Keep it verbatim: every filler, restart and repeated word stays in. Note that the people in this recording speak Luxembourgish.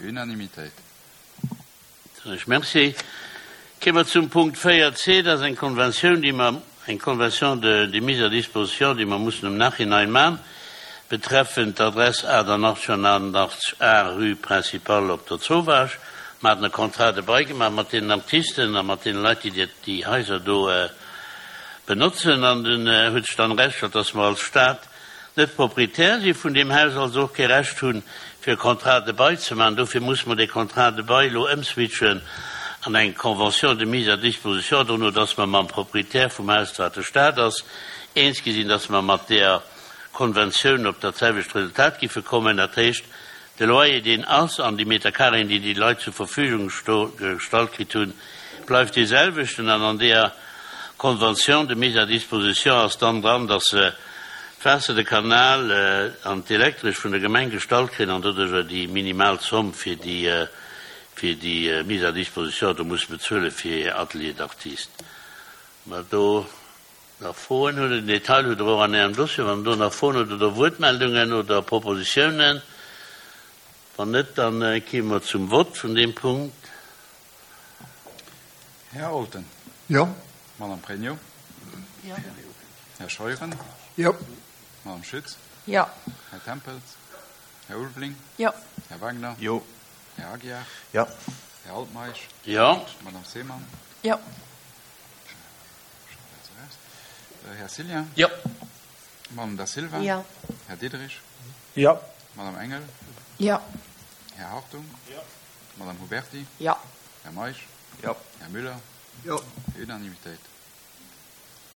Unanimitéit. Soen ech Merci. Kéime mer zum Punkt véier c, dat ass eng Konventioun, déi mer, eng Convention de, de mise à disposition, déi mer mussen am Nachhinein maachen, betreffend d'Adress achtundachtzeg A, rue Principale op der Zowaasch. Mer haten e Contrat de bail gemaach mat deenen Artisten a mat deene Leit, déi déi Haiser do benotzen. An dunn huet sech dann erausgestallt, dass mer als Stad net Proprietär si vun deem Haus, also och kee Recht hunn, fir e Contrat de bail ze maachen. Dofir musse mer dee Contrat de bail elo ëmswitchen an eng Convention de mise à disposition, dono dass mer mam Proprietär vum Haus, wat de Staat ass, eens gi sinn, dass mer mat där Konventioun op dat selwecht Resultat giffe kommen. Dat heescht, de Loyer, deen ass, an déi Meterkareeën, déi déi Leit zur Verfügung gestallt kritt hunn, bleift dee selwechten. An an deeër Convention de mise à disposition ass dann dran, dass se d'Waasser, de Kanal an d'Elektresch vun der Gemeng gestallt kréien an doduercher déi minimal Zomm fir déi fir déi mise à disposition do musse bezuele fir hir Atelier d'artiste. Mä do nach Froen hutt, den Detail hutt Der och an Ärem Dossier, wann Der do nach Froen hutt oder Wuertmeldungen oder Propositiounen. Wann net, dann kime mer zum Vott vun deem Punkt. Här Olten. Jo. Madame Pregno. Jo. Här Scheuren. Jo. Madame Schütz. Jo. Här Tempels. Här Ulveling. Jo. Här Wagner. Jo. Här Aguiar. Jo. Här Altmeisch. Jo. Madame Seemann. Jo. Här Cillien. Jo. Madame Da Silva. Jo. Här Diderich. Jo. Madame Engel. Jo. Här Hartung. Jo. Madame Huberti. Jo. Här Meisch. Jo. Här Müller. Jo. Unanimitéit.